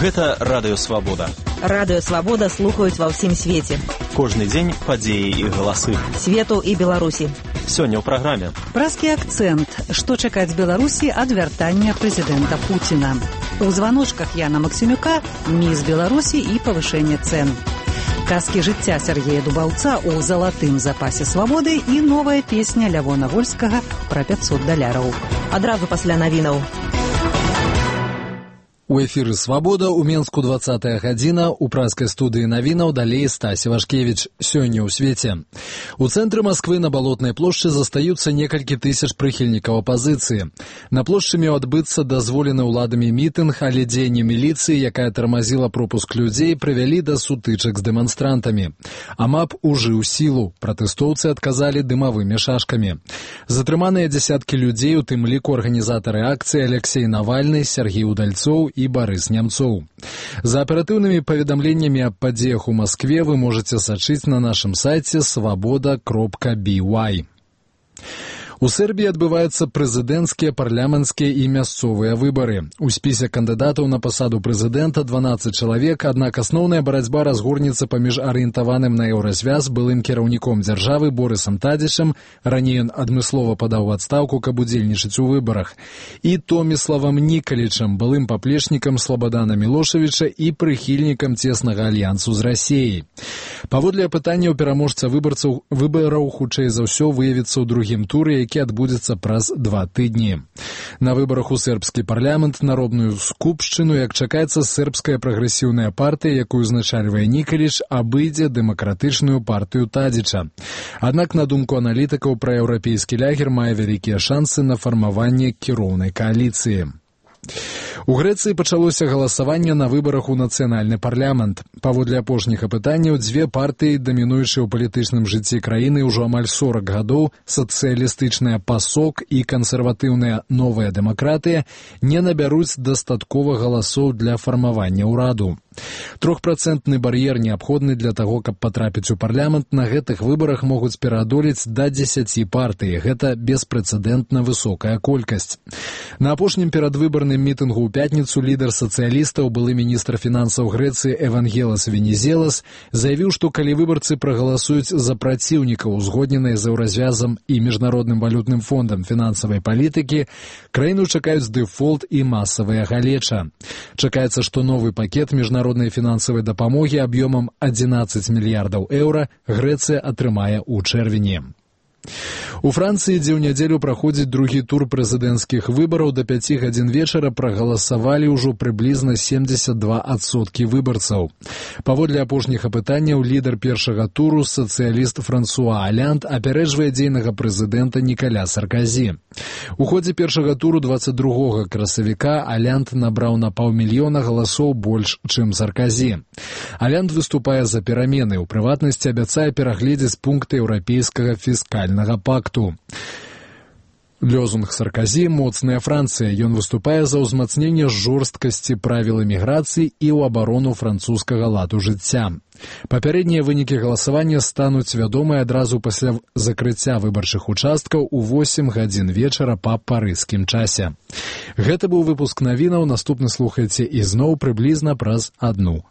Гэта Радыё Свабода. Радыё Свабода слухаюць ва ўсім свеце. Кожны дзень падзеі і галасы. Свету і Беларусі. Сёння ў праграме. Празкі акцэнт. Што чакаць Беларусі ад вяртання прэзідэнта Пуціна. У званочках Яна Максімюка міс Беларусі і павышэнне цэн. Казкі жыцця Сергея Дубаўца ў залатым запасе свабоды і новая песня Лявона Вольскага пра $500. Адразу пасля навінаў. У эфіры «Свабода» у Менску 20-я гадзіна, у празкай студыі навінаў далей Стасі Вашкевіч. Сёння ў свеце. У цэнтры Масквы на Балотнай плошчы застаюцца некалькі тысяч прыхільнікаў апазіцыі. На плошчы меў адбыцца дазволены ўладамі мітынг, але дзеянне міліцыі, якая тармазіла пропуск людзей, прывялі да сутычак з дэманстрантамі. АМАП ужыў сілу. Пратэстоўцы адказалі дымавымі шашкамі. Затрыманыя дзясяткі людзей, у тым ліку арганізатары акцыі Алексей Навальны, Сергей Удальцоў і Барыс Нямцоў. За аператыўнымі паведамленнямі аб падзеях у Маскве вы можаце сачыць на нашым сайце svoboda.by. У Сербіі адбываюцца прэзідэнцкія, парламенцкія і мясцовыя выбары. У спісе кандыдатаў на пасаду прэзідэнта 12 чалавек, аднак асноўная барацьба разгорнецца паміж арыентаваным на еўразвяз былым кіраўніком дзяржавы Борысам Тадзічам, раней ён адмыслова падаў у адстаўку, каб удзельнічаць у выбарах, і Томіславам Нікалічам, былым паплечнікам Слабадана Мілошавіча і прыхільнікам цеснага альянсу з Расіяй. Паводле апытанняў пераможца выбараў хутчэй за ўсё выявіцца ў другім туры, які адбудзецца праз 2 тыдні. На выбарах у сербскі парламент, народную скупшчыну, як чакаецца, сербская прагрэсіўная партыя, якую узначальвае Нікаліч, абыдзе дэмакратычную партыю Тадзіча. Аднак, на думку аналітыкаў, праеўрапейскі лягер мае вялікія шансы на фармаванне кіроўнай кааліцыі. У Грэцыі пачалося галасаванне на выбарах у нацыянальны парламент. Паводле апошніх апытанняў, дзве партыі, дамінуючыя ў палітычным жыцці краіны ўжо амаль 40 гадоў, сацыялістычная ПАСОК і кансерватыўная Новая дэмакратыя, не набяруць дастаткова галасоў для фармавання ўраду. 3% бар'ер неабходны для таго, каб патрапіць у парламент. На гэтых выбарах могуць пераадолець да 10 партый. Гэта беспрэцэдэнтна высокая колькасць. На апошнім перадвыбарным мітынгу ў пятніцу лідар сацыялістаў, былы міністр фінансаў Грэцыі Евангелас Венізелас, заявіў, што калі выбарцы прагаласуюць за праціўнікаў узгодненай з еўразвязам і міжнародным валютным фондам фінансавай палітыкі, краіну чакаюць дэфолт і масавая галеча. Чакаецца, што новы пакет міжнароднай фінансавай дапамогі аб'ёмам 11 мільярдаў еўра Грэцыя атрымае ў чэрвені. У Францыі, дзе ў нядзелю праходзіць другі тур прэзідэнцкіх выбараў, да 5 гадзін вечара прагаласавалі ўжо прыблізна 72% выбарцаў. Паводле апошніх апытанняў, лідар першага туру, сацыяліст Франсуа Алянд, апярэджвае дзейнага прэзідэнта Нікаля Сарказі. У ходзе першага туру 22 красавіка Алянд набраў на 500 000 галасоў больш, чым Сарказі. Алянд выступае за перамены, у прыватнасці абяцае перагледзець пункты еўрапейскага фіскальнага пакту. Лёзунг Сарказі «Моцная Францыя». Ён выступае за ўзмацненне жорсткасці правіл эміграцыі і ў абарону французскага ладу жыцця. Папярэднія вынікі галасавання стануць вядомыя адразу пасля закрыцця выбарчых участкаў у 8 гадзін вечара па парыжскім часе. Гэта быў выпуск навінаў. Наступны слухайце ізноў прыблізна праз 1